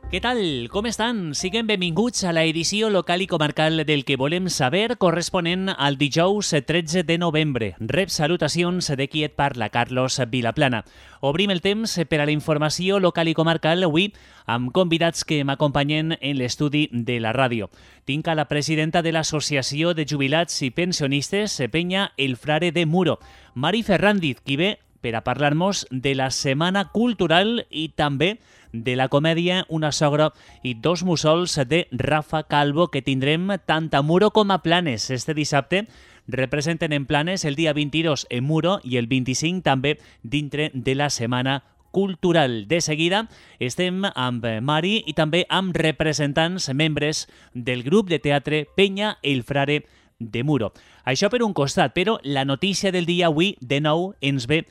Què tal? Com estan? Siguem benvinguts a l'edició local i comarcal del que volem saber corresponent al dijous 13 de novembre. Rep salutacions de qui et parla, Carlos Vilaplana. Obrim el temps per a la informació local i comarcal avui amb convidats que m'acompanyen en l'estudi de la ràdio. Tinc a la presidenta de l'Associació de Jubilats i Pensionistes, Penya El Frare de Muro, Mari Ferrandiz, qui ve per a parlar-nos de la Setmana Cultural i també de la comèdia Una sogra i dos mussols de Rafa Calvo, que tindrem tant a Muro com a Planes. Este dissabte representen en Planes el dia 22 en Muro i el 25 també dintre de la Setmana Cultural. De seguida estem amb Mari i també amb representants membres del grup de teatre Penya El Frare de Muro. Això per un costat, però la notícia del dia avui de nou ens ve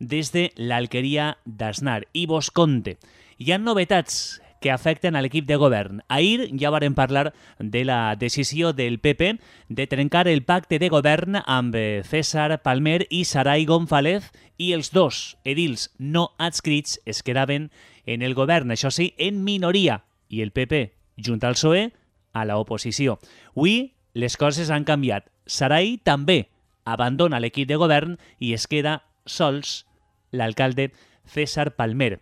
des de l'Alqueria d'Asnar i vos conte. Hi ha novetats que afecten a l'equip de govern. Ahir ja vàrem parlar de la decisió del PP de trencar el pacte de govern amb César Palmer i Saray González i els dos edils no adscrits es quedaven en el govern, això sí, en minoria, i el PP, junt al PSOE, a l'oposició. Avui les coses han canviat. Saray també abandona l'equip de govern i es queda sols l'alcalde César Palmer.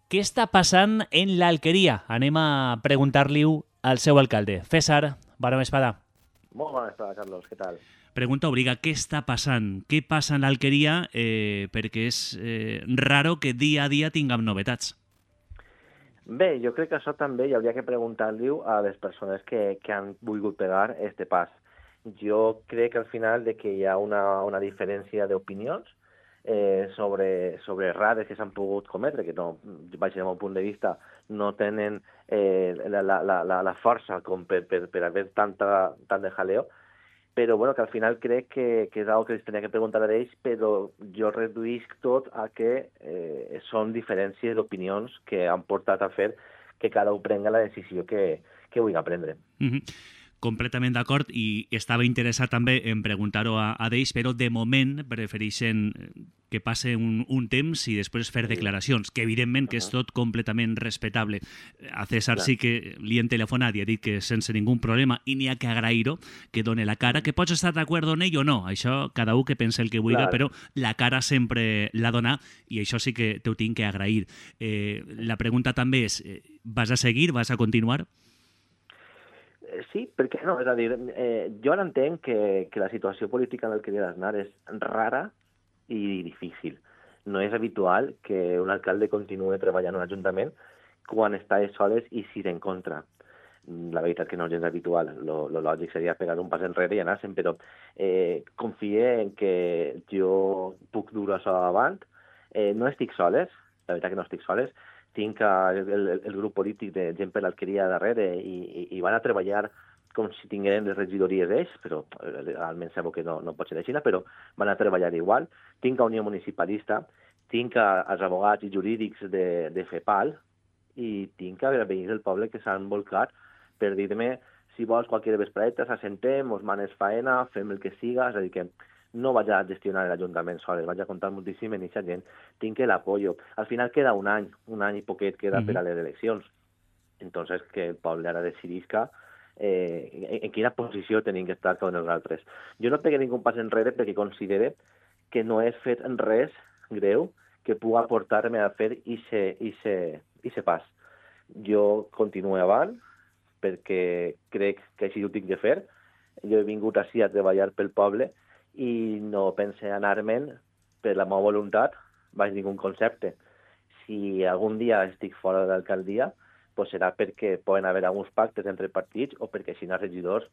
Què està passant en l'Alqueria? Anem a preguntar-li-ho al seu alcalde. César, bona vesprada. Molt bona vesprada, Carlos. Què tal? Pregunta obliga, què està passant? Què passa en l'Alqueria? Perquè és raro que dia a dia tinguem novetats. Bé, jo crec que això també hi hauria que preguntar-li-ho a les persones que han volgut pegar este pas. Jo crec que al final de que hi ha una diferència d'opinions sobre errades que s'han pogut cometre, que no, vaig del meu punt de vista, no tenen la força com per haver tant de jaleo, però bueno, que al final crec que és una cosa que es tenia que preguntar a ells, però jo reduïsc tot a que són diferències d'opinions que han portat a fer que cada un prenga la decisió que vulgui prendre. Completament d'acord, i estava interessat també en preguntar-ho a ells, però de moment prefereixen que passe un temps i després fer declaracions, que evidentment que és tot completament respectable. A César sí que li han telefonat i ha dit que sense ningú problema, i n'hi ha que agrair-ho, que doni la cara, que pots estar d'acord en ell o no, això cada un que pensa el que vulgui, però la cara sempre la dona, i això sí que t'ho tinc que agrair. La pregunta també és, vas a seguir, vas a continuar? Sí, perquè no, és a dir, jo ara entenc que la situació política en l'Alqueria d'Asnar és rara i difícil. No és habitual que un alcalde continuï treballant en un ajuntament quan està soles i sis en contra. La veritat que no és gens habitual. Lo lògic seria pegar un pas enrere i anar-se'n, però confie en que jo puc dur això avant. No estic soles, la veritat que no estic soles. Tinc el grup polític de gent per l'Alqueria darrere i van a treballar com si tingueren les regidories d'ells, però almenys sabeu que no pot ser així, però van a treballar igual. Tinc a Unió Municipalista, tinc els advocats i jurídics de FEPAL i tinc a veïns del poble que s'han volcat per dir-me si vols qualque vespreta, s'assentem, us manes faena, fem el que siga, és a dir que no vaig a gestionar l'Ajuntament soles, vaig a comptar moltíssim en aquesta gent, tinc l'apoyo. Al final queda un any i poquet queda per a les eleccions. Entonces, que el poble ara decidisca en quina posició tenim que estar cada un dels altres. Jo no pegué ningú pas enrere perquè considere que no he fet res greu que pugui portar-me a fer ixe pas. Jo continuo avant perquè crec que així ho tinc de fer. Jo he vingut així a treballar pel poble i no pense anar-me'n per la meva voluntat baix ningú concepte. Si algun dia estic fora de l'alcaldia, pues serà perquè poden haver alguns pactes entre partits o perquè si no els regidors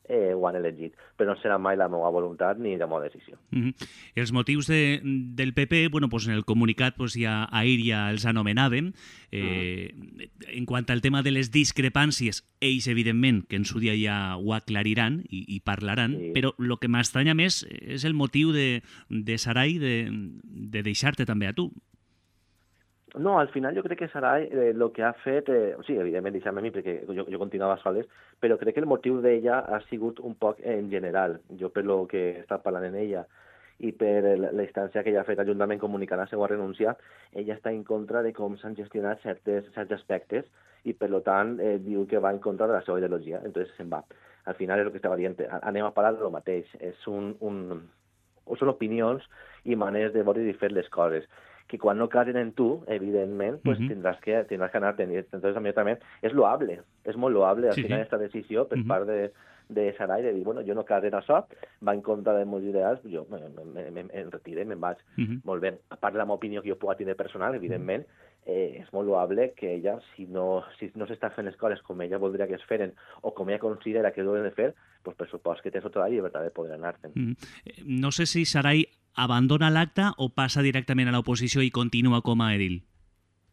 ho han elegit. Però no serà mai la meva voluntat ni la meva decisió. Els motius del PP, bueno, pues en el comunicat pues ahir ja els anomenàvem. En quant al tema de les discrepàncies, ells, evidentment, que en su dia ja ho aclariran i parlaran, però el que m'estranya més és el motiu de Saray de deixar-te també a tu. No, al final jo crec que Saray el que ha fet, sí, evidentment deixar-me a mi perquè jo continuava soles, però crec que el motiu d'ella ha sigut un poc en general. Jo per lo que he estat parlant en ella i per la instància que ella ha fet l'Ajuntament comunicant la seva renúncia, ella està en contra de com s'han gestionat certs aspectes i, per tant, diu que va en contra de la seva ideologia. Entonces se'n va. Al final és el que estava dient. Anem a parlar del mateix. Són opinions i maneres de veure i fer les coses que quan no casen en tu, evidentment, pues tindràs que anar-te'n. Entonces, a mi també és loable, és molt loable al final aquesta decisió per part de Sarai de dir, bueno, jo no caso en això, va en contra dels meus ideals, jo em retire, me'n vaig. Molt bé. A part de la meva opinió que jo pugui tenir personal, evidentment, és molt loable que ella, si no s'està fent les coses com ella voldria que es feren o com ella considera que ho han de fer, pues per supost que té tota la llibertat de poder anar-te'n. No sé si Sarai abandona l'acte o passa directament a l'oposició i continua com a edil?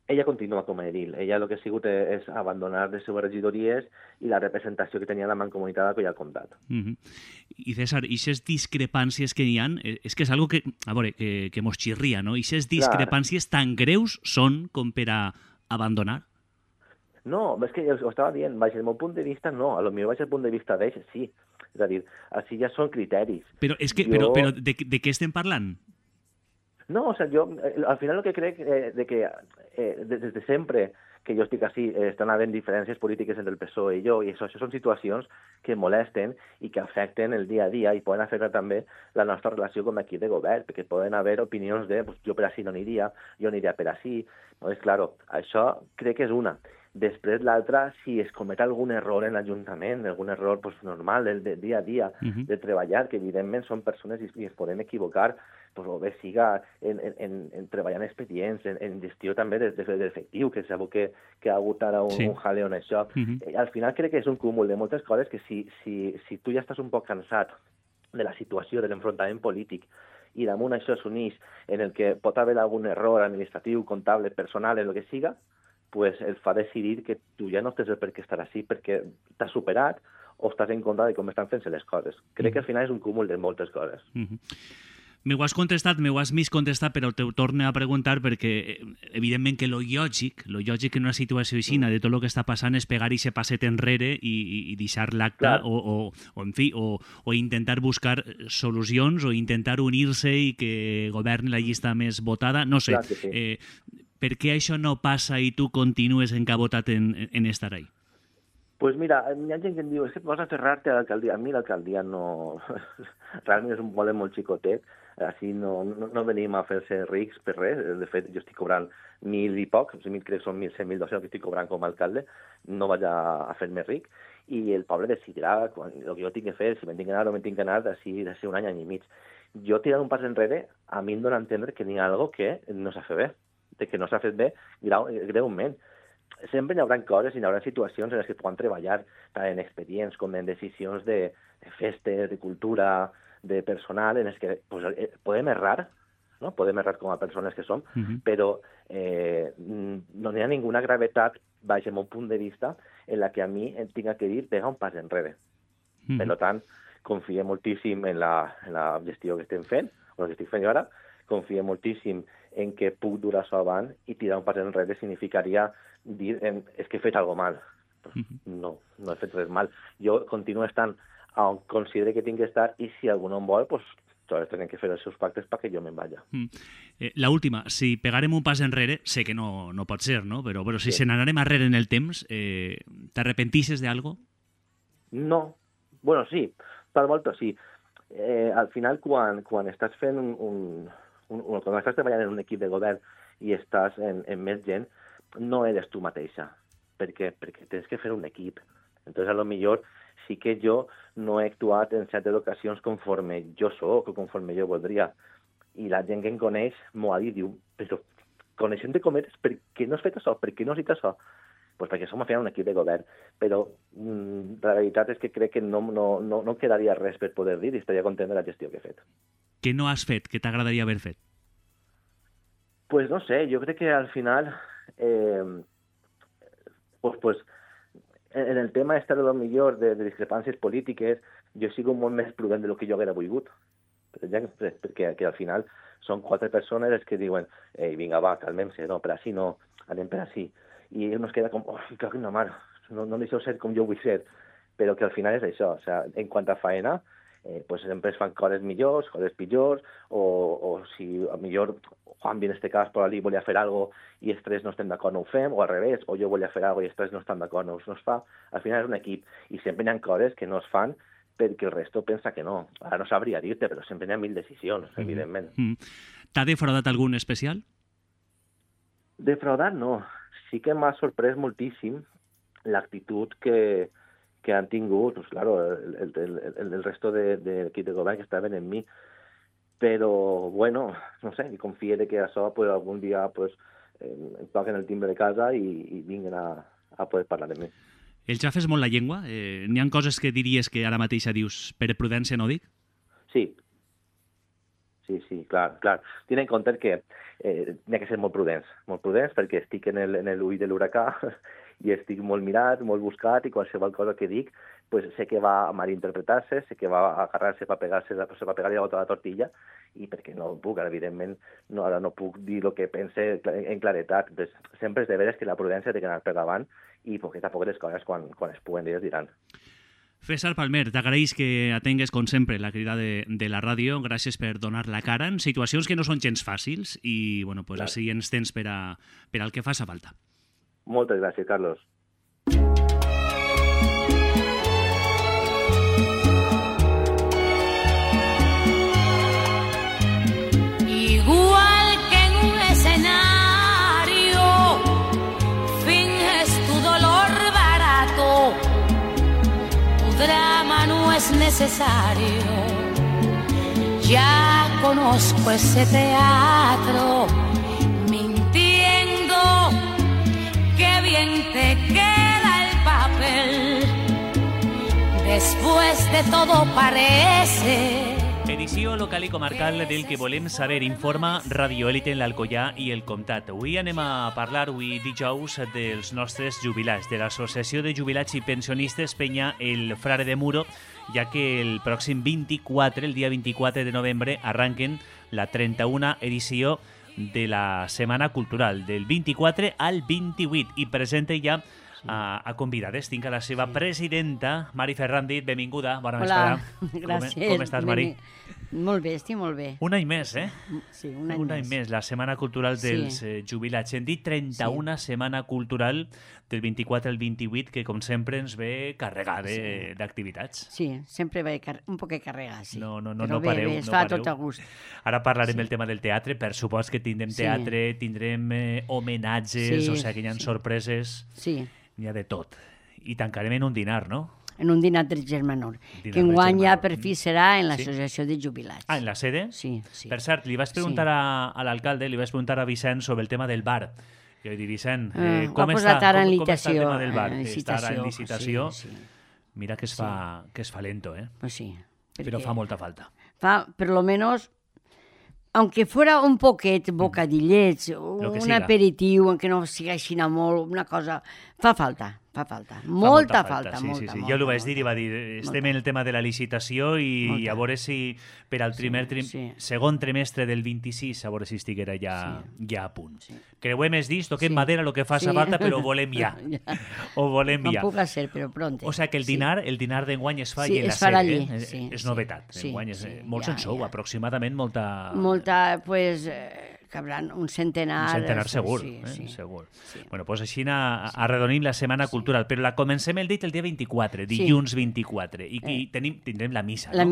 Ella continua com a edil. Ella el que ha sigut és abandonar les seves regidories i la representació que tenia la mancomunitat que ja ha comptat. I César, aquestes discrepàncies que hi ha, és que és algo que, a veure, que mos xirria, no? Aquestes discrepàncies tan greus són com per a abandonar? No, és que ho estava dient, baix el meu punt de vista no, a lo millor baix el punt de vista d'ells sí. És a dir, així ja són criteris. Però és que, però de què estem parlant? No, o sea, jo al final el que crec de que des de sempre que jo estic així estan havent diferències polítiques entre el PSOE i jo, i això són situacions que molesten i que afecten el dia a dia i poden afectar també la nostra relació com a equip de govern, perquè poden haver opinions de pues, jo per així no aniria, jo aniria per així. No, és clar, això crec que és una. Després l'altra, si es comet algun error en l'Ajuntament, algun error pues, normal del dia a dia de treballar, que evidentment són persones i es poden equivocar, pues, o bé siga en treballar en expedients, en gestió també d'efectiu, que sabeu que ha hagut ara un jaleo en això. Al final crec que és un cúmul de moltes coses que si tu ja estàs un poc cansat de la situació, de l'enfrontament polític, i damunt això s'uneix en el que pot haver algun error administratiu, comptable, personal, en el que siga, pues el fa decidir que tu ja no tens per què estar així perquè t'has superat o estàs en contra de com estan fent-se les coses. Crec que al final és un cúmul de moltes coses. M'ho has contestat, m'ho has miscontestat, però te ho torno a preguntar perquè, evidentment, que lo lògic en una situació així, de tot el que està passant, és pegar i se passet enrere i deixar l'acte o intentar buscar solucions o intentar unir-se i que governi la llista més votada. No sé, per què això no passa i tu continues encabotat en estar ahí? Pues mira, hi ha gent que em diu, és que vas a aferrar-te a l'alcaldia. A mi l'alcaldia no... Realment és un poble molt xicotet, així no venim a fer-se rics per res. De fet, jo estic cobrant 1.000 i poc, crec que són 1.100-1.200 que estic cobrant com a alcalde, no vaig a fer-me ric, i el poble decidirà el que jo tinc que fer, si me'n tinc que anar o me'n tinc que anar d'ací un any i mig. Jo tirant un pas enrere, a mi em dóna a entendre que n'hi ha alguna cosa que no s'ha fet bé, que no s'ha fet bé greument. Sempre hi haurà coses i hi haurà situacions en les que puguem treballar tant en expedients com en decisions de festes, de cultura, de personal, en les que pues, podem errar, no? Podem errar com a persones que som, però no hi ha ninguna gravetat, baix el meu punt de vista, en la que a mi em tinga que dir pega un pas enrere. Per tant, confio moltíssim en la gestió que estem fent, o la que estic fent jo ara, confio moltíssim en que puc durar això avant i tirar un pas enrere significaria dir és que he fet alguna mal. No he fet res mal. Jo continuo estant on considere que tinc que estar i si algú no em vol, pues, tots tenen que fer els seus pactes perquè jo me'n vaja. La última, si pegarem un pas enrere, sé que no pot ser, no? Però si se n'anarem arrere en el temps, t'arrepentisses d'algo? No. Bueno, sí. Per volta, sí. Al final, quan estàs fent quan estàs treballant en un equip de govern i estàs en més gent, no eres tu mateixa, perquè tens que fer un equip. Entonces, a lo millor sí que jo no he actuat en certes ocasions conforme jo soc o conforme jo voldria. I la gent que em coneix m'ho ha dit, diu, però coneixent-te com eres, per què no has fet això? Per què no has dit això? Pues perquè som al final un equip de govern, però la veritat és que crec que no quedaria res per poder dir i estaria content de la gestió que he fet. Què no has fet, que t'agradaria haver fet? Pues no sé, jo crec que al final pues en el tema este de lo millor de discrepàncies polítiques jo sigo molt més prudent de lo que jo haguera volgut, perquè al final són 4 persones les que diuen vinga va, calmem-se, no, per així no, anem per així, i uno es queda com, cago en la mar, no deixeu ser com jo vull ser, però que al final és això, o sea, en quant a faena, pues sempre es fan coses millors, coses pitjors, o si a millor Juan, en este cas, per allí volia fer algo i els tres no estem d'acord, no ho fem, o al revés, o jo volia fer algo i els tres no estan d'acord, no es fa. Al final és un equip, i sempre hi ha coses que no es fan perquè el resto pensa que no. Ara no sabria dir-te, però sempre hi ha 1000 decisions, evidentment. T'ha defraudat algun especial? Defraudat no. Sí que m'ha sorprès moltíssim l'actitud que han tingut, pues claro, el resto de l'equip de govern que estaven en mi. Però, bueno, no sé, i confio que això pues, algun dia pues, em toquen el timbre de casa i vinguin a poder parlar de mi. El xafes molt la llengua? N'hi ha coses que diries que ara mateixa dius per prudència no dic? Sí, clar. Ten en compte que n'hi ha que ser molt prudents perquè estic en l'ull de l'huracà i estic molt mirat, molt buscat i qualsevol cosa que dic pues sé que va a malinterpretar-se, sé que va a agarrar-se per pegar-li a la tortilla i perquè no puc, evidentment, ara no puc dir el que pense en claretat. Pues, sempre és de veres que la prudència té que anar per davant i poquet a poc les coses quan es puguen dir es diran. César Palmer, t'agraeix que atengues, com sempre, la crida de la ràdio. Gràcies per donar la cara en situacions que no són gens fàcils i, bueno, pues clar, així ens tens per al que faça falta. Moltes gràcies, Carlos. Igual que en un escenario finges tu dolor barato, tu drama no es necesario. Ya conozco ese teatro, mintiendo, qué bien te queda el papel. Después de todo parece... Edició local i comarcal del que volem saber, informa Radio Élite en l'Alcoià i el Comtat. Avui anem a parlar, avui dijous, dels nostres jubilats, de l'Associació de Jubilats i Pensionistes Penya el Frare de Muro, ja que el pròxim 24, el dia 24 de novembre, arranquen la 31a edició de la Setmana Cultural, del 24 al 28, i presenta ja a convidades. Tinc a la seva presidenta, Mari Ferrandit, benvinguda, bona vesprada. Gràcies. Com estàs, Mari? Molt bé, estic molt bé. Un any més, eh? Sí, un any més. La Setmana Cultural dels Jubilats. Hem dit 31 Setmana Cultural del 24 al 28, que com sempre ens ve carregada d'activitats. Sí, sempre ve un poc carregat, sí. No pareu. Bé, es fa tot a gust. Ara parlarem del tema del teatre, per supost que tindrem teatre, tindrem homenatges, o sigui que hi ha sorpreses. Sí. N'hi ha de tot. I tancarem en un dinar, no? En un dinar del Germanor, que enguany ja per fi serà en l'Associació de Jubilats. Ah, en la sede? Sí. Per cert, li vaig preguntar a l'alcalde, li vaig preguntar a Vicent sobre el tema del bar. Jo vaig dir, Vicent, com està el tema del bar? Està ara en licitació. Mira que es fa lento, eh? Pues sí. Però fa molta falta. Fa, per lo menos... Aunque fuera un poquet bocadillets, un aperitiu, aunque no sigui així molt, una cosa... Fa falta. Molta falta. Sí. Jo l'ho vaig dir i va dir, estem en el tema de la licitació i a veure si per al segon trimestre del 26, a veure si estiguera ja a punt. Creuem els dits, toquem madera, el que faça falta, però ho volem ja. Ho volem ja. No puc ser, però pronte. O sigui que el dinar d'enguany es fa allà en la sede. És novetat. Enguany és molt en sou, aproximadament molta, pues... cabran un centenar. Un centenar segur, segur. Bueno, doncs així arredonim la Setmana Cultural, però la comencem el dia 24, dilluns 24, i tindrem la missa, no? La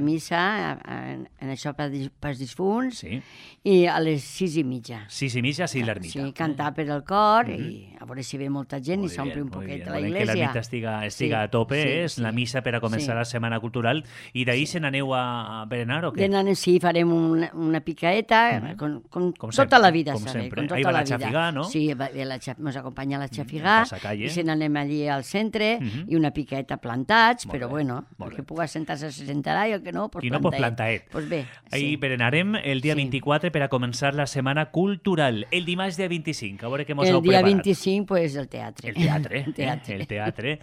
missa, en això pels difunts, i a les 6:30. 6:30, sí, l'ermita. Sí, cantar per el cor, i a veure si ve molta gent i s'omple un poquet la iglesia. Que l'ermita estiga a tope, és la missa per a començar la Setmana Cultural, i d'ahir se n'aneu a berenar o què? Sí, farem una picaeta, com tota la vida, com sempre. Ahí va la xafigà, no? Sí, ens acompanya la xafigà, i se n'anem allí al centre, i una picaeta plantats, però bueno, el que pugui sentar-se se sentarà, i el que no, pues plantaet. Qui no, pues plantaet. Pues bé. Ahí berenarem el dia 24 per a començar la Setmana Cultural. El dimarts dia 25, a veure què mos heu preparat. El dia 25, pues el teatre. El teatre.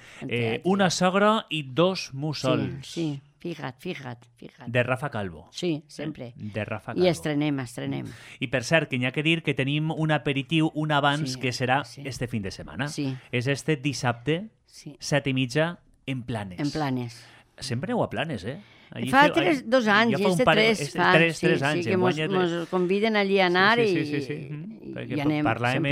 Una sogra i dos mussols. Sí. Fija't. De Rafa Calvo. Sí, sempre. De Rafa Calvo. I estrenem. I per cert, que n'hi ha que dir que tenim un aperitiu, un abans, que serà este fin de setmana. Sí. És este dissabte, 7:30, en Planes. En Planes. Sempre aneu a Planes, eh? Fa 2 anys, ja és de 3 anys. Sí, que mos conviden allí a anar i anem. Parlàvem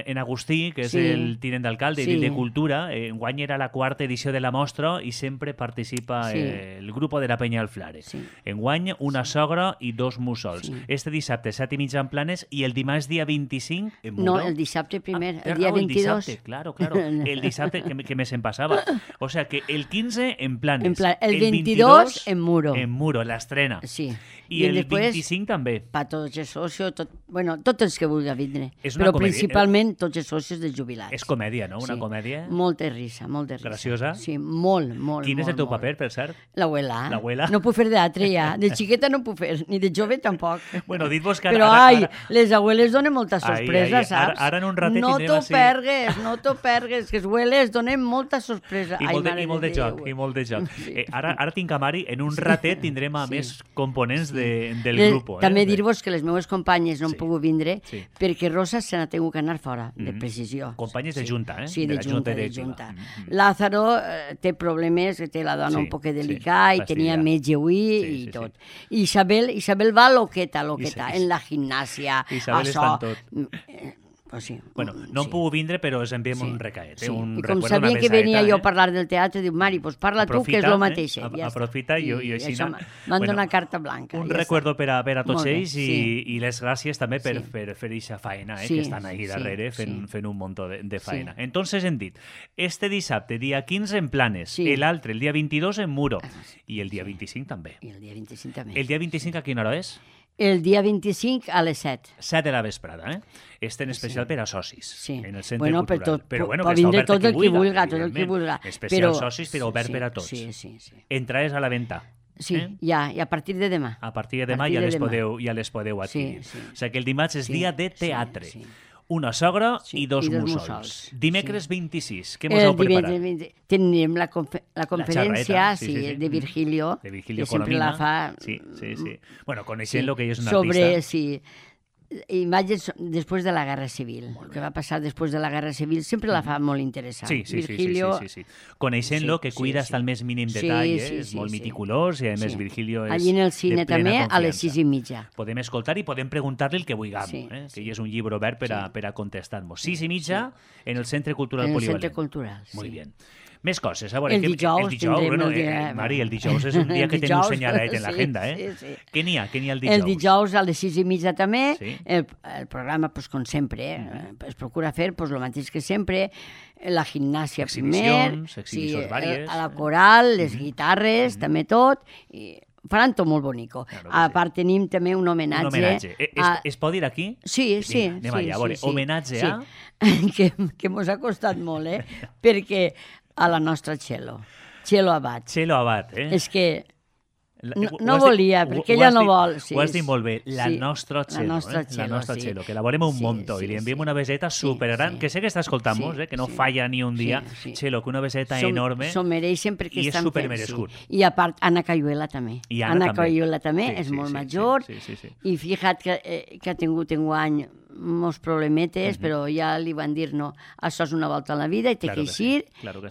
en Agustí, que és el tinent d'alcalde i de Cultura. Enguany era la 4ª edició de la mostra i sempre participa el grup de la Penya del Flare. Enguany, una sogra i 2 mussols. Este dissabte, 7:30 en Planes, i el dimarts, dia 25, en Muro. No, el dissabte primer, el dia 22. El dissabte, claro. El dissabte, que me se'n passava. O sea, que el 15 en Planes. El 22 en Muro. En Muro, l'estrena. Sí. I el 25 també. Per tots els socis, tots els que vulgui vindre. Però principalment tots els socis dels jubilats. És comèdia, no? Una comèdia? Molta risa, molta risa. Graciosa? Sí, molt. Quin és el teu paper, per cert? L'abuela. No puc fer d'altre ja. De xiqueta no puc fer, ni de jove tampoc. Bueno, dit-vos que però, les abueles donen molta sorpresa, saps? Ara en un ratet no t'ho pergues, que les abueles donen molta sorpresa. I molt de joc. Ara tinc a Mari, en un ratet tindrem a més components del grup. També dir-vos que les meves companyes no han pogut vindre perquè Rosa se n'ha tingut que anar fora, de precisió. Companyes de Junta, eh? Sí, de Junta. Lázaro té problemes, té la dona un poc delicada i tenia metge avui i tot. I Isabel va loqueta, en la gimnàsia. Isabel està en tot. Sí. Bueno, no hem pogut vindre, però us enviem un recaet. I com sabia que venia jo a parlar del teatre, diu, Mari, pues parla tu, que és el mateix. Aprofita i així... M'han donat carta blanca. Un recuerdo per a tots ells i les gràcies també per fer aquesta faena, que estan ahí darrere fent un munt de faena. Entonces hem dit, este dissabte, dia 15 en Planes, l'altre, el dia 22 en Muro, i el dia 25 també. I el dia 25 també. El dia 25 a quina hora és? El dia 25 a les 7. 7 de la vesprada, eh? Este en especial per a socis, en el centre cultural. Però bueno, pot vindre tot el que vulga, Especial socis, però obert per a tots. Sí. Entrades a la venda. Sí, ja, i a partir de demà. A partir de demà ja les podeu adquirir. O sigui que el dimarts és dia de teatre. Una sogra i 2 mussols. Dimecres 26, què mos heu preparat? Tenim la conferència de Virgilio, que sempre la fa... Sí. Bueno, coneixent lo que és un artista. Sobre, imatges després de la Guerra Civil. El que va passar després de la Guerra Civil sempre la fa molt interessant. Virgilio... Sí. Coneixent-lo, que cuida hasta el més mínim detall, és molt meticulós i a més Virgilio és allí en el cine també a les 6:30. Podem escoltar i podem preguntar-li el que vulguem, que hi és un llibre obert per a contestar-nos. 6:30 en el Centre Cultural Polivalent. En el Centre Cultural, Molt bé. Més coses. A veure, el dijous tindrem el dia... Mari, el dijous és un dia que teniu senyalat en l'agenda, Sí. Què n'hi ha el dijous? El dijous a les 6:30 també. El programa, com sempre, es procura fer el mateix que sempre. La gimnàsia primer, exhibicions vàries. A la coral, les guitarres, també tot. I faran tot molt bonico. A part tenim també un homenatge. Es pot dir aquí? Sí. Anem allà, a veure, homenatge a... Que mos ha costat molt, perquè a la nostra Txelo Abad. Txelo Abad, És que no volia, perquè ella no vol. Ho has dit molt bé, la nostra Txelo, que la volem un muntó i li enviem una beseta supergran, que sé que està escoltant-nos, que no falla ni un dia. Txelo, que una beseta enorme s'ho mereixen perquè i és supermerescut. I a part, Anna Cayuela també. Anna Cayuela també és molt major i fixa't que ha tingut enguany molts problemetes, però ja li van dir no, això és una volta a la vida i té que eixir,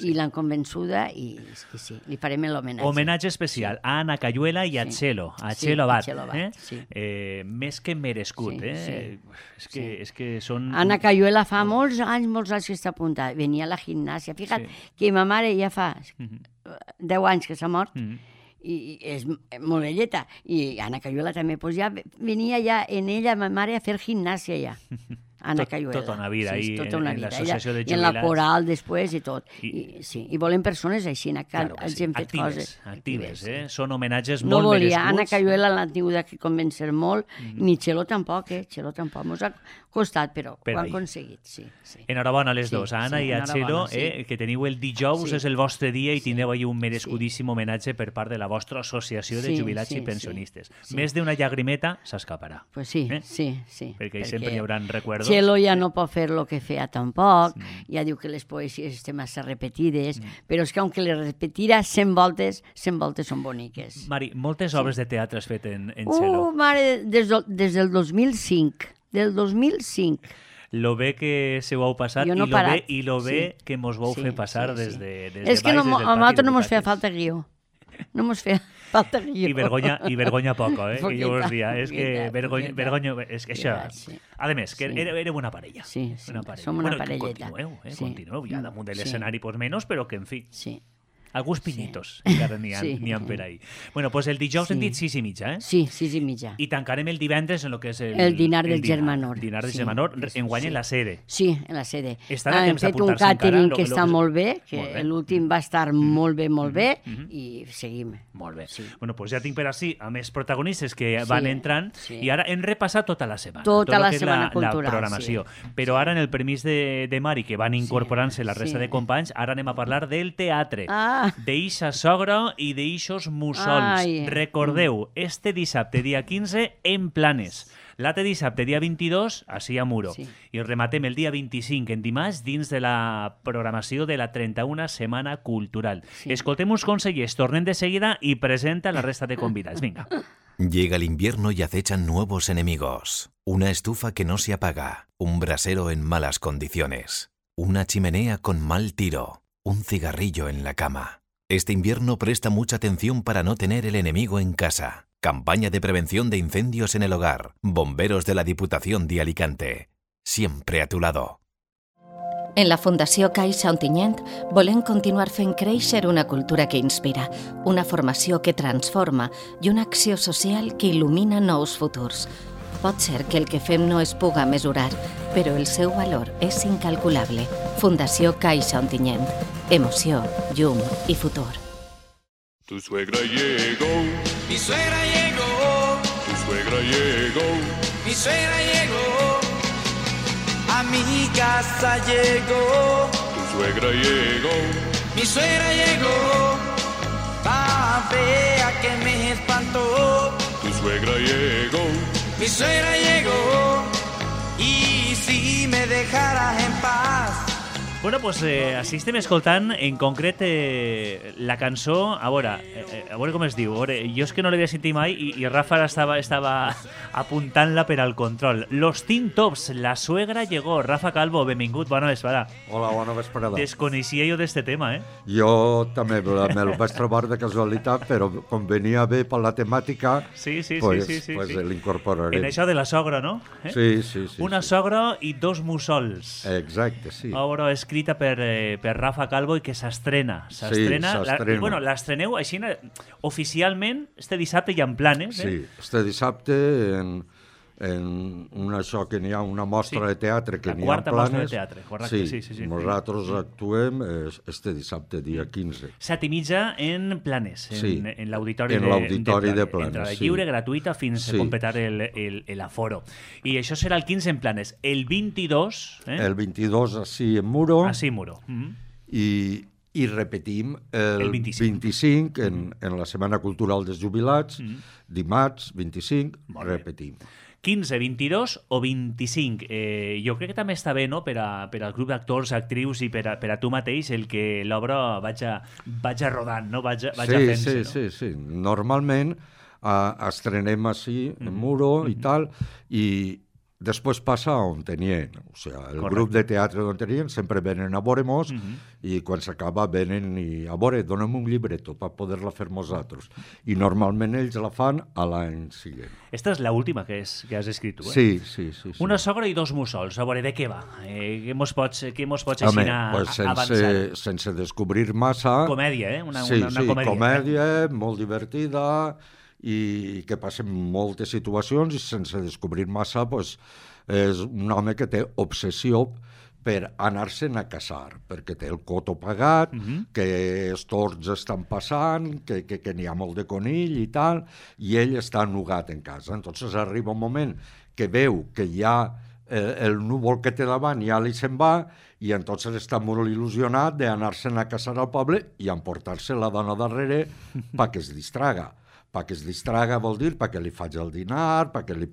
i l'han convençuda i sí, li farem l'homenatge. Homenatge especial a Anna Cayuela i a Txelo, Txelo Abad. Més que merescut, És que són... Anna Cayuela fa molts anys que està apuntada, venia a la gimnàsia. Fixa't que ma mare ja fa 10 anys que s'ha mort, i és molt velleta, i Anna Cayuela també, doncs ja venia ja en ella, ma mare, a fer gimnàsia ja. Anna Cayuela. Tota una vida, tota una vida. L'associació de jubilats. I en la coral després i tot. I volem persones així, que hagin fet coses. Actives, Són homenatges molt merescuts. No volia, Anna Cayuela l'ha tingut que convèncer molt, ni Txelo tampoc, Txelo tampoc. Mos ha costat, però ho han aconseguit, sí. Enhorabona a les dos, a Anna i a Txelo, que teniu el dijous, és el vostre dia i tindreu ahí un merescudíssim homenatge per part de la vostra associació de jubilats i pensionistes. Més d'una llagrimeta s'escaparà. Pues sí. Perquè sempre hi haurà recuerdos. Txelo ja no pot fer el que feia tampoc, ja diu que les poesies estan massa repetides, però és que aunque les repetira 100 voltes són boniques. Mari, moltes obres de teatre has fet en Txelo. Mare, des del 2005. Del 2005. Lo bé que se ho heu passat i lo bé que mos vau fer passar des de és que a nosaltres no mos feia falta guió. no mos feia falta guió. I vergonya poco, que jo us dia. És que Poqueta. vergonya... És que això... Sí. A més, que éreu una parella. Sí, som una parelleta. Continueu, ja damunt de l'escenari, pues menos, però que, en fi... Sí. Alguns pinyitos, encara n'hi ha per ahir. Bueno, pues el dijous hem dit 6:30, Sí, 6:30. I tancarem el divendres en el que és el dinar del Germanor. Dinar del Germanor, enguany en la sede. Sí, en la sede. Estan a temps d'apuntar-se encara. Hem fet un catering que està molt bé, que l'últim va estar molt bé, i seguim. Molt bé. Bueno, pues ja tinc per així a més protagonistes que van entrant, i ara hem repassat tota la setmana. Tota la setmana cultural, la programació. Però ara, en el permís de Mari, que van incorporant-se la resta de companys, ara anem a parlar del teatre. D'eixa sogra i d'eixos mussols. Recordeu, este dissabte, dia 15, en Planes. L'altre dissabte, dia 22, així a Muro. I rematem el dia 25, en dimarts, dins de la programació de la 31a Setmana Cultural. Escoltem uns consellers, tornem de seguida i presenta la resta de convidats. Vinga. Llega el invierno y acechan nuevos enemigos. Una estufa que no se apaga, un brasero en malas condiciones, una chimenea con mal tiro, un cigarrillo en la cama. Este invierno presta mucha atención para no tener el enemigo en casa. Campaña de prevención de incendios en el hogar. Bomberos de la Diputación de Alicante. Siempre a tu lado. En la Fundació Caixa Ontinyent volem continuar fent créixer una cultura que inspira, una formació que transforma i una acció social que il·lumina nous futurs. Pot ser que el que fem no es puga mesurar, però el seu valor és incalculable. Fundació Caixa Ontinyent. Emoció, llum i futur. Tu suegra llegó. Mi suegra llegó. Tu suegra llegó. Mi suegra llegó. A mi casa llegó. Tu suegra llegó. Mi suegra llegó. Tan fea que me espantó. Tu suegra llegó. Mi suegra llegó. Y si me dejaras en paz. Bueno, pues així estem escoltant, en concret, la cançó, a veure com es diu, jo és que no l'havia sentit mai i Rafa estava apuntant-la per al control. Los Teen Tops, la suegra llegó. Rafa Calvo, benvingut, bona vesprada. Hola, bona vesprada. Desconeixia jo d'este tema, Jo també me'l vaig trobar de casualitat, però com venia bé per la temàtica, pues l'incorporarem. En això de la sogra, no? Sí. Una sogra i dos mussols. Exacte, sí. Obra escrita per Rafa Calvo i que s'estrena. S'estrena. Bueno, l'estreneu així oficialment este dissabte ja en Planes. Sí, este dissabte en això que n'hi ha una mostra de teatre que n'hi ha en Planes. La quarta mostra de teatre, correcte. Sí. Nosaltres actuem este dissabte, dia 15. 7:30 en Planes, en l'auditori de Planes. Entrada lliure, gratuïta, fins a completar l'aforo. I això serà el 15 en Planes. El 22... El 22 així en Muro. Així en Muro. I repetim el 25 en la Setmana Cultural dels Jubilats, dimarts 25, repetim. 15, 22 o 25. Jo crec que també està bé, no?, per al grup d'actors, actrius i per a tu mateix, el que l'obra vaja rodant, no? Vaja fent-se. Sí. Normalment estrenem així, en Muro i tal, i després passa a Ontinyent. O sigui, el grup de teatre d'Ontinyent sempre venen a veure-mos i quan s'acaba venen a veure, donem un llibreto per poder-la fer nosaltres. I normalment ells la fan a l'any següent. Esta és l'última que has escrit tu, Sí. Una sogra i dos mussols. A veure, de què va? Què mos pots així avançar? Sense descobrir massa... Comèdia, una comèdia. comèdia. Comèdia, molt divertida, i que passen moltes situacions i sense descobrir massa és un home que té obsessió per anar-se'n a casar, perquè té el coto pagat, que els tords estan passant, que n'hi ha molt de conill i tal, i ell està nugat en casa. Entonces arriba un moment que veu que ja el núvol que té davant ja li se'n va i entonces està molt il·lusionat d'anar-se'n a casar al poble i emportar-se la dona darrere perquè es distraga. Perquè es distraga vol dir perquè li faig el dinar, perquè li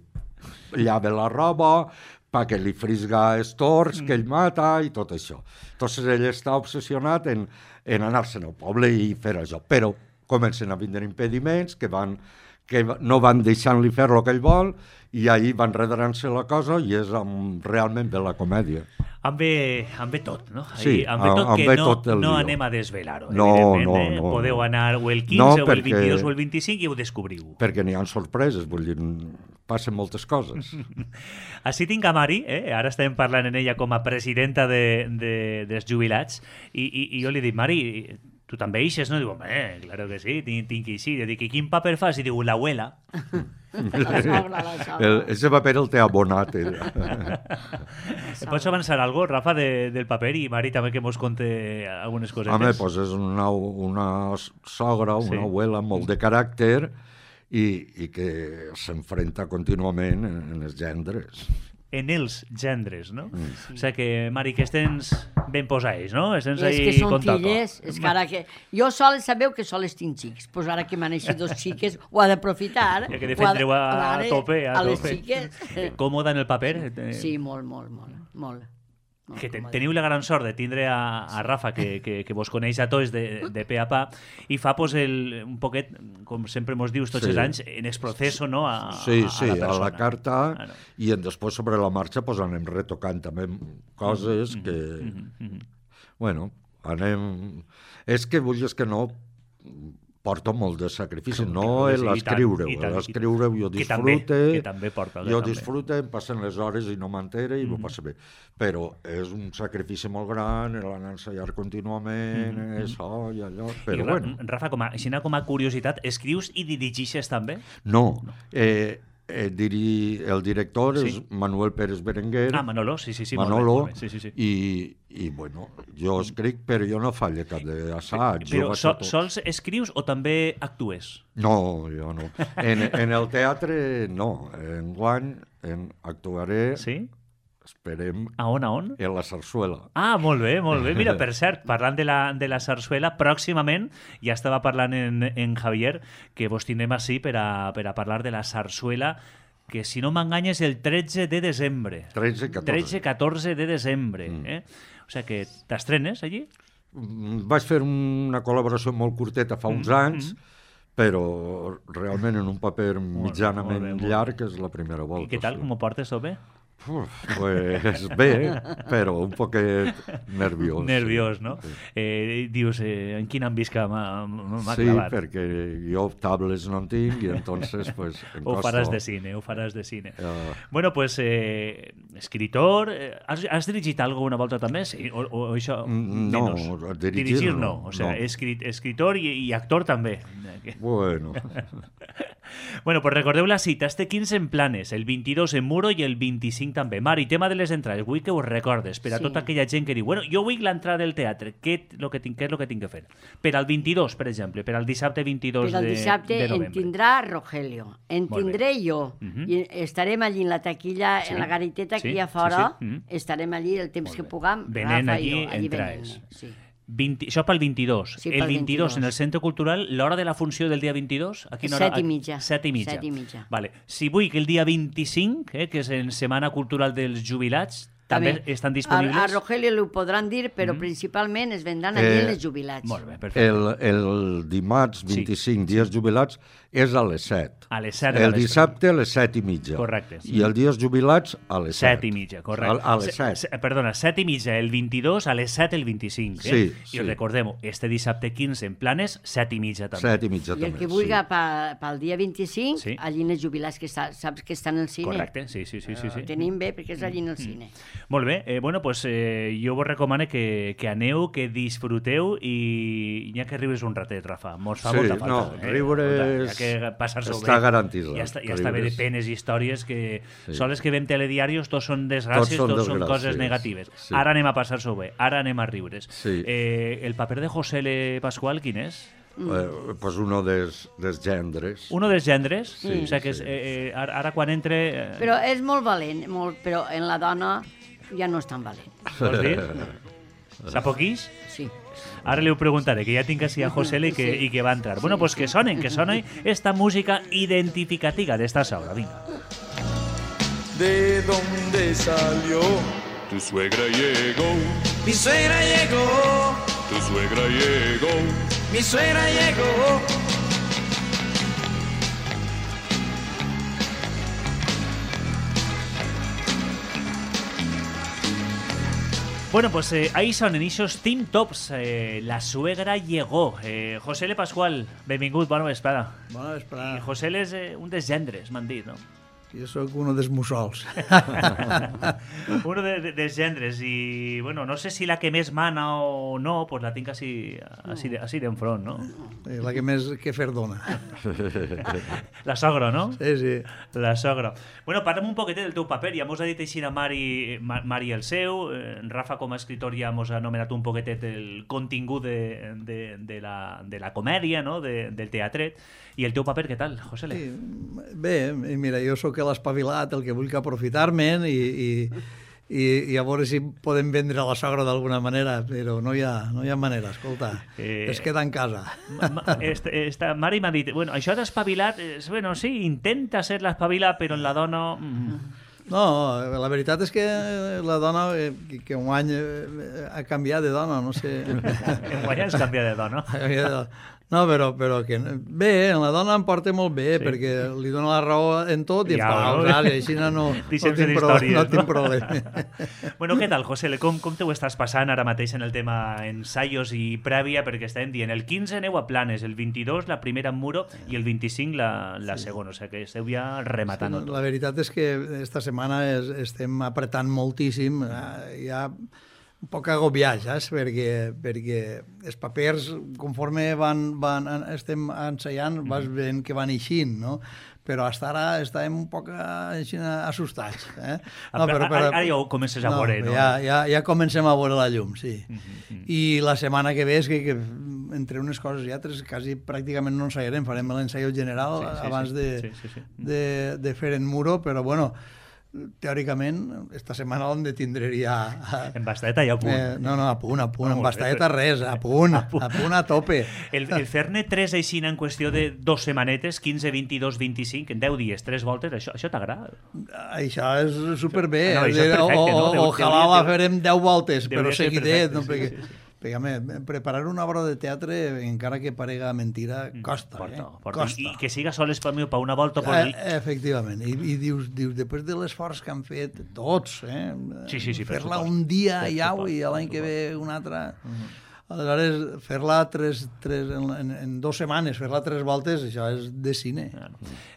llave la roba, perquè li frisga els tords que ell mata i tot això. Entonces ell està obsessionat en anar-se'n al poble i fer això. Però comencen a vindre impediments que no van deixant-li fer el que ell vol i ahir van redrant-se la cosa i és realment bé la comèdia. Amb bé tot, no? Sí, amb bé tot amb que bé no, tot el no lío. anem a desvelar-ho, No, evidentment. no. Podeu anar o el 15, No, o el perquè- 22, o el 25 i ho descobriu. Perquè n'hi ha sorpreses, vull dir, passen moltes coses. Així tinc a Mari, ara estem parlant en ella com a presidenta dels jubilats, i jo li dic, Mari, tu també eixes, no? Diu, home, claro que sí, tinc que eixir. Jo dic, i quin paper fas? I diu, l'abuela. La sogra. Ese paper el té abonat. Pots avançar algo, Rafa, del paper? I Mari també que mos conte algunes cosetes. Home, pues és una sogra, una abuela molt de caràcter i que s'enfrenta contínuament en els gendres. En els gendres, no? O sigui que, Mari, que estens ben posades, no? Estens És que ahí són con toco. filles, és que ara que... Jo sols sabeu que sols tinc xics, doncs ara que m'han eixit dos xiques ho ha d'aprofitar. Ja que defendreu a tope, a les tope. xiques. Còmoda en el paper? Sí, molt. Teniu la gran sort de tindre a Rafa, que vos coneix a tots de pe a pa, i fa pues, un poquet, com sempre mos dius tots els anys, en el procés, no? Sí, a la persona. a la carta, i després sobre la marxa pues, anem retocant també coses que... Bueno, anem... És que vull dir que no... Porto molt de sacrifici, no l'escriure-ho. L'escriure-ho jo disfrute, que també porta. Jo disfrute, em passen les hores i no m'entere i m'ho passa bé. Però és un sacrifici molt gran, l'anar a ensenyar contínuament, això i allò, però bueno. Rafa, com a curiositat, escrius i dirigixes també? No, el director és Manuel Pérez Berenguer. Ah, Manolo, sí. Manolo, molt bé. Sí. I bueno, jo escric, però jo no falle cap d'assaig. Però sols escrius o també actues? No, jo no. En el teatre, no. Enguany actuaré... Sí? Esperem... A on? En la Sarsuela. Ah, molt bé. Mira, per cert, parlant de la Sarsuela, pròximament, ja estava parlant en Javier, que vos tindrem així per a parlar de la Sarsuela, que si no m'enganya és el 13 de desembre. 13-14 de desembre. O sigui que t'estrenes allí? Vaig fer una col·laboració molt curteta fa uns anys, però realment en un paper mitjanament llarg és la primera volta. I què tal? Com ho portes, o bé? Pues bé, però un poquet nerviós. Nerviós, no? Sí. Dius, en quin ambisca m'ha clavat? Sí, perquè jo tables no en tinc i entonces pues em costa... Ho faràs de cine. Bueno, pues, escritor... Has dirigit alguna volta també? Sí, o això menos? No, dirigir no. O sea, escritor i actor també. Bueno... Bueno, pues recordeu la cita, este 15 en Planes, el 22 en Muro i el 25 també. Mari, tema de les entrades, vull que ho recordes per a tota aquella gent que diu, bueno, jo vull l'entrada del teatre, què és el que tinc que fer? Per al 22, per exemple, per al dissabte 22 de novembre. Per al dissabte en tindrà Rogelio, en tindré jo, i estarem allí en la taquilla, en la gariteta que hi ha fora, estarem allí el temps que puguem, Rafa i jo, allí venent. Això pel 22. Sí, el 22 en el Centre Cultural, l'hora de la funció del dia 22? 7:30. 7:30. Vale. Si vull que el dia 25, que és en Setmana Cultural dels Jubilats, també estan disponibles? A Rogelio ho podran dir, però principalment es vendran allí els jubilats. Molt bé, perfecte. El dimarts 25, dies jubilats, és a les 7. A les 7. El dissabte a les 7:30. Correcte. I el dies jubilats a les 7. 7:30, correcte. A les 7. Perdona, 7:30 el 22, a les 7 el 25. Sí. I recordem, este dissabte 15 en Planes, 7:30 també. 7:30 també. I el que vulgui pel dia 25, allí en els jubilats, que saps que estan al cine. Correcte, sí. Tenim bé, perquè és allí en el cine. Molt bé, bueno, pues jo vos recomano que aneu, que disfruteu i n'hi ha que riures un ratet, Rafa. Mos fa molta falta. No, riures... Està garantit. Ja està bé de penes i històries que sols que veiem telediaris tots són desgràcies, tots són coses negatives. Ara anem a passar-s'ho bé, ara anem a riure's. El paper de José L. Pascual, quin és? Pues uno dels gendres. Uno dels gendres? Sí. O sigui que ara quan entre... Però és molt valent, però en la dona ja no és tan valent. Vols dir? Sap poquís? Sí. Ara li ho preguntaré, que ja tinc així a José L i que va entrar. Bueno, pues que sone esta música identificativa d'esta obra. Vinga. ¿De dónde salió? Tu suegra llegó. Mi suegra llegó. Tu suegra llegó. Mi suegra llegó. Bueno, pues ahí son en esos Team Tops. La suegra llegó. José L. Pascual, benvingut, bona vesprada. Bona vesprada. I José L. és un dels gendres, m'han dit, no? Jo sóc un dels mussols. Uno dels gendres. I, bueno, no sé si la que més mana o no, pues la tinc així d'enfront, no? La que més que fer dona. La sogra, no? Sí, sí. La sogra. Bueno, parlem un poquetet del teu paper. Ja mos ha dit així a Mari el seu. Rafa, com a escritor, ja mos ha anomenat un poquetet el contingut de la comèdia, no? Del teatret. I el teu paper, què tal, José L? Sí, bé, mira, jo sóc l'espavilat, el que vull que aprofitar-me'n i a veure si podem vendre la sogra d'alguna manera, però no hi ha manera, escolta, es queda en casa. Mari m'ha dit, bueno, això d'espavilat, bueno, sí, intenta ser l'espavilat, però en la dona... No, la veritat és que la dona, que un any ha canviat de dona, no sé... Un any has canviat de dona. No, però que bé, la dona em porta molt bé, sí, perquè li dona la raó en tot i així no tinc problema. Bueno, què tal, José? Com te ho estàs passant ara mateix en el tema ensaios i prèvia? Perquè estàvem dient, el 15 aneu a Planes, el 22 la primera en Muro i el 25 la segona, o sigui que esteu ja rematant. Sí, la veritat és que esta setmana estem apretant moltíssim, ja un poc agobiats, perquè els papers, conforme estem ensaiant, vas veient que van eixint, no? Però fins ara estàvem un poc assustats. Ara ja ho comences a veure, no? Ja comencem a veure la llum, sí. I la setmana que ve és que entre unes coses i altres quasi pràcticament no ensaiarem, farem l'ensaio general abans de fer en Muro, però bueno, teòricament, esta setmana l'hem de tindre ja... En Basteta ja a punt. No, a punt, en Basteta res, a punt, a tope. El fer-ne 3 aixina en qüestió de 2 setmanetes, 15, 22, 25, en 10 dies, 3 voltes, això t'agrada? Això és superbé. Ojalà la farem 10 voltes, però seguidet, no? Perquè preparar una obra de teatre, encara que parega mentira, costa. Porta. I que siga sols per mi, per una volta... Efectivament. I dius, després de l'esforç que han fet tots, fer-la un dia i l'any que ve un altre... Aleshores, fer-la en 2 setmanes, fer-la 3 voltes, això és de cine.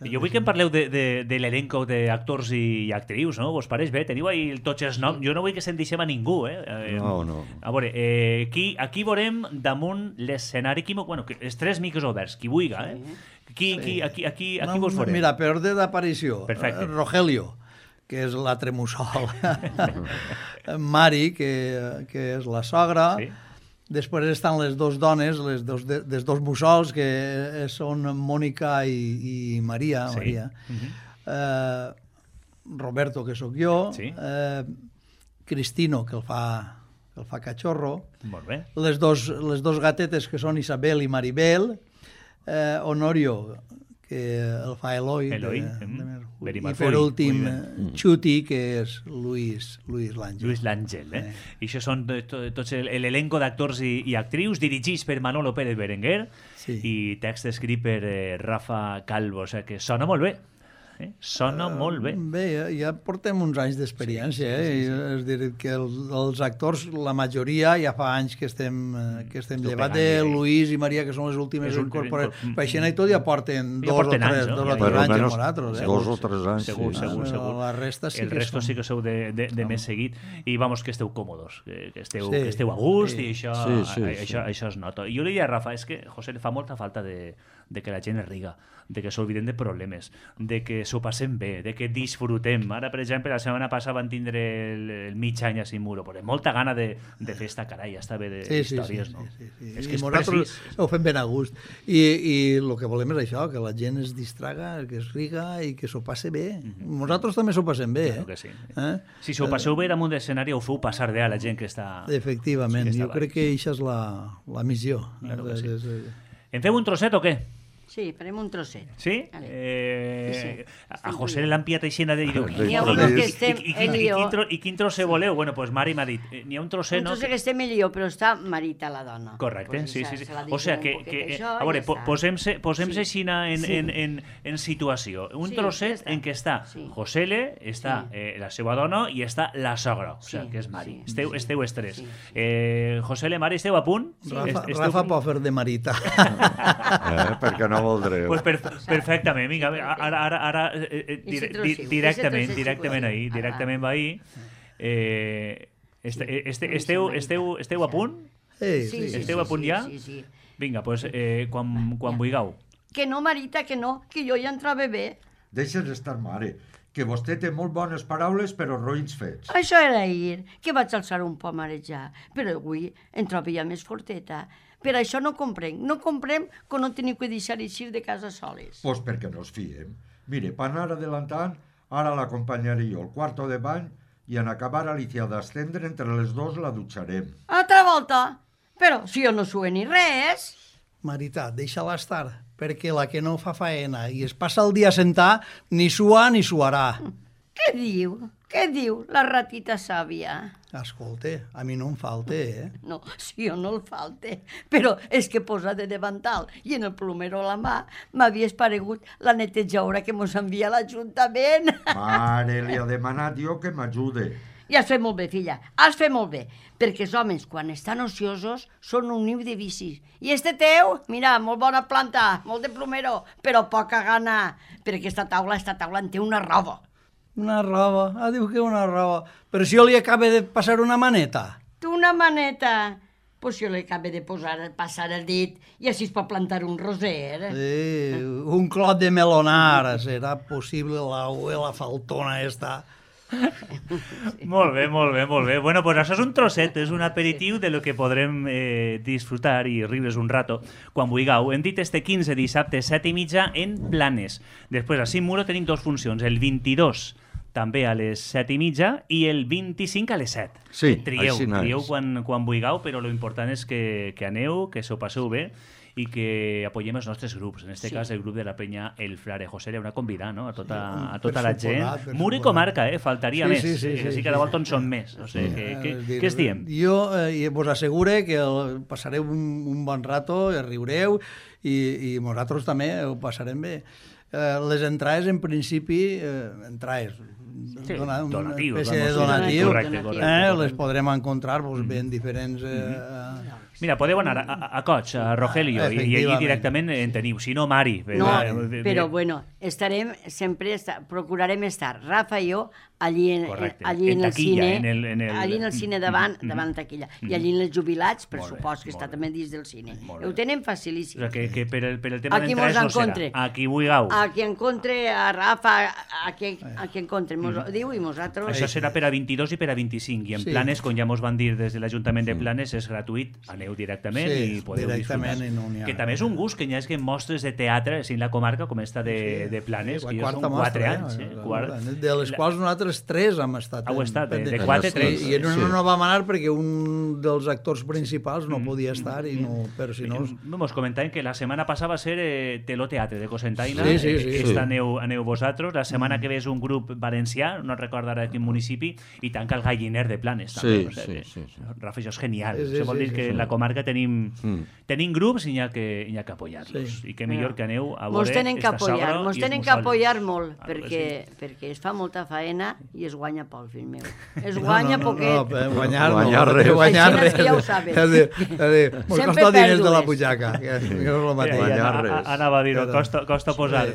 Jo vull que em parleu de l'elenco d'actors i actrius, no? Vos pareix bé? Teniu ahí tots els noms? Jo no vull que se'n deixem a ningú, No. A veure, aquí veurem damunt l'escenari, els 3 micros oberts, qui vulga, Aquí vos veurem. Mira, per ordre d'aparició, Rogelio, que és l'altre mussol, Mari, que és la sogra, després estan les 2 dones, les 2 mussols, que són Mònica i Maria. Roberto, que sóc jo. Cristino, que el fa cachorro. Molt bé. Les dos gatetes, que són Isabel i Maribel. Honorio, que el fa Eloi. I per últim, Xuti, que és Luis l'Àngel. Luis l'Àngel, I això són tots l'elenco d'actors i actrius, dirigits per Manolo Pérez Berenguer i text escrit per Rafa Calvo, o sigui que sona molt bé. Sona molt bé. Bé, ja portem uns anys d'experiència, és dir, que els actors, la majoria, ja fa anys que estem llevat de Luis i Maria, que són les últimes incorporades. Per això i tot ja porten 2 o 3 anys amb nosaltres. 2 o 3 anys, segur. La resta sí que sou de més seguit i vamos, que esteu còmodos, que esteu a gust i això es nota. I jo li diria a Rafa, és que, José, fa molta falta de que la gent es riga, de que s'olviden de problemes, de que s'ho passem bé, de que disfrutem. Ara, per exemple, la setmana passada van tindre el mig any a Muro, però molta gana de fer esta carai, està bé d'històries, no? És que nosaltres ho fem ben a gust. I el que volem és això, que la gent es distraga, que es riga i que s'ho passe bé. Nosaltres també s'ho passem bé. Claro que sí. Si s'ho passeu bé damunt d'escenari, ho feu passar bé a la gent que està... Efectivament, jo crec que això és la missió. En fem un trosset o què? Sí, farem un trosset. Sí? A José l'han pillat aixina de dir... I quin trosset voleu? Bueno, doncs Mari m'ha dit, n'hi ha un trosset... Un trosset que esté millor, però està Marita la dona. Correcte, sí. O sigui que, a veure, posem-se aixina en situació. Un trosset en què està Josele, està la seva dona i està la sogra, o sigui que és Mari. Esteu els tres. Josele, Mari, esteu a punt? Rafa pot fer de Marita. Perquè no voldreu. Pues perfectament, vinga, ara directament ahí, directament va ahí. Esteu a punt? Sí. Esteu a punt ja? Sí. Vinga, doncs quan vulgueu. Que no, Marita, que no, que jo ja entrava bé. Deixes estar, mare, que vostè té molt bones paraules però roïns fets. Això era ahir, que vaig alçar un poc a marejar, però avui em trobo ja més forteta. Per això no comprem que no teniu que deixar eixir de casa soles. Pues perquè no us fiem. Mire, per anar adelantant, ara l'acompanyaré jo al quarto de bany i en acabar Alicia d'estendre entre les dos la dutxarem. Altra volta? Però si jo no sue ni res... Marita, deixa-la estar, perquè la que no fa faena i es passa el dia a sentar ni sua ni suarà. Què diu? Què diu la ratita sàvia? Escolta, a mi no em falta, No, si jo no el falte, però és que posa de davantal i en el plomero a la mà m'havia esparegut la netejadora que mos envia a l'Ajuntament. Mare, li ha demanat jo que m'ajude. I has fet molt bé, filla, has fet molt bé, perquè els homes, quan estan ociosos, són un niu de vicis. I este teu, mira, molt bona planta, molt de plomero, però poca gana, perquè aquesta taula en té una roba. Una roba, diu que una roba. Però si jo li acabo de passar una maneta. Tu una maneta? Pues jo li acabo de passar el dit i així es pot plantar un roser. Sí, un clot de melonar, serà possible la faltona esta. Molt bé. Bueno, pues això és un trosset, és un aperitiu de lo que podrem disfrutar i riure's un rato quan vulgueu. Hem dit este 15 dissabte 7:30 en Planes. Després a Cimuro tenim dos funcions, el 22 també a les 7:30 i el 25 a les 7. Sí, trieu quan vulgueu, però lo important és que aneu, que s'ho passeu bé i que apoyem els nostres grups. En aquest cas, el grup de la penya El Frare José era una convidada, no? a tota la gent. Mur i comarca, faltaria més. Sí, cada volta en són més. O sigui, què es diem? Jo vos assegure que passareu un bon rato, riureu, i nosaltres també ho passarem bé. Les entrades, en principi, donatiu. Les podrem encontrar en diferents... Mira, podeu anar a Coig, a Rogelio, i allí directament en teniu. Si no, Mari. Però bueno, procurarem estar, Rafa i jo, allí en el cine, allí en el cine davant taquilla, i allí en els jubilats, per supost que està també dins del cine. Ho tenen facilíssim. O sigui, que per el tema d'entrades no serà. A qui vulgueu. A qui encontre, a Rafa, a qui encontre, mos ho diu i nosaltres... Això serà per a 22 i per a 25, i en Planes, com ja mos van dir des de l'Ajuntament de Planes, és gratuït, aneu directament i podeu disfrutar. Que també és un gust que hi hagi mostres de teatre en la comarca com esta de Planes, que jo són 4 anys. De les quals nosaltres 3 hem estat. Heu estat, de 4 a 3. I no vam anar perquè un dels actors principals no podia estar, però si no... Mos comentàvem que la setmana passada va ser Teló Teatre de Cocentaina, esta aneu vosaltres, la setmana que ve és un grup valencià, no recordo ara quin municipi, i tanca el Galliner de Planes. Rafa, això és genial. Això vol dir que en la comarca tenim grups i n'hi ha que apoyar-los. I que millor que aneu a veure esta sogra. Mos tenen que apoyar molt, perquè es fa molta faena i es guanya poc, fill meu. Es guanya poquet. Guanyar res. Ja ho sabes. Mos costa diners de la butxaca. Anava a dir-ho, costa posar.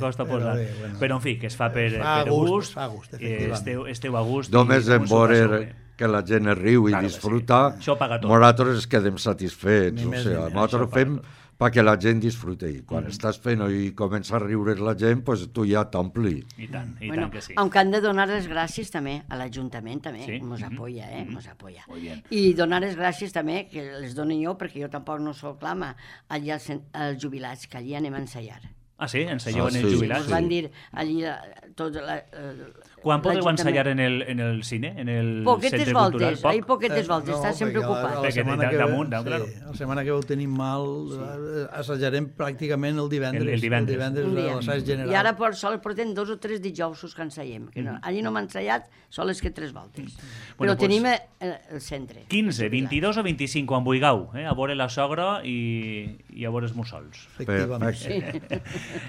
Però, en fi, que es fa per gust. Esteu a gust. Només en veure que la gent es riu i disfruta, nosaltres ens quedem satisfets. Nosaltres fem perquè la gent disfruti. Quan estàs fent i comença a riure la gent, tu ja t'ompli. I tant que sí. Aunque han de donar les gràcies també a l'Ajuntament, també, mos apoya, mos apoya. I donar les gràcies també, que les dono jo, perquè jo tampoc no soc clama, allà als jubilats, que allí anem a ensaiar. Ah, sí? Ensaieu en els jubilats? Ens van dir allí tot... Quan podeu ensaiar en el cine, en el centre cultural? Hay poquetes voltes, està sempre ocupat. Perquè damunt, claro. La setmana que ho tenim mal, assajarem pràcticament el divendres. El divendres. L'assaig general. I ara sol portem 2 o 3 dijous que ensayem. Allí no hem ensaiat, sol és que 3 voltes. Però tenim el centre. 15, 22 o 25, quan vulgueu, a veure la sogra i a veure els mussols. Efectivament.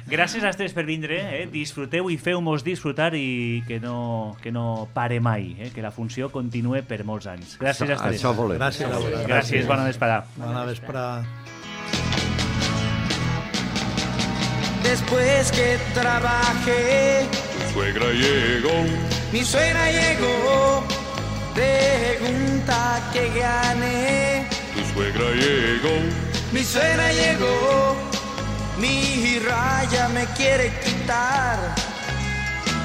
Gràcies a tots per vindre, disfruteu i feu-mos disfrutar i que no pare mai, que la funció continue per molts anys. Gràcies a tots. Això volem. Gràcies, bona vesprada. Bona vesprada. Después que trabajé, Tu suegra llegó, mi suegra llegó, pregunta que gané. tu suegra llegó, Mi suegra llegó, mi raya me quiere quitar,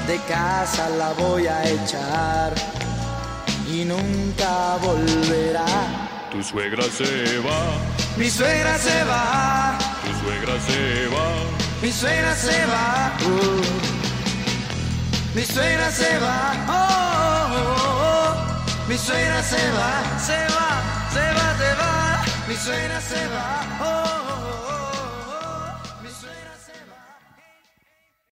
de casa la voy a echar y nunca volverá. tu suegra se va, Mi suegra se va, tu suegra se va, mi suegra se va, mi suegra se va, mi suegra se va, se va, se va, se va, mi suegra se va,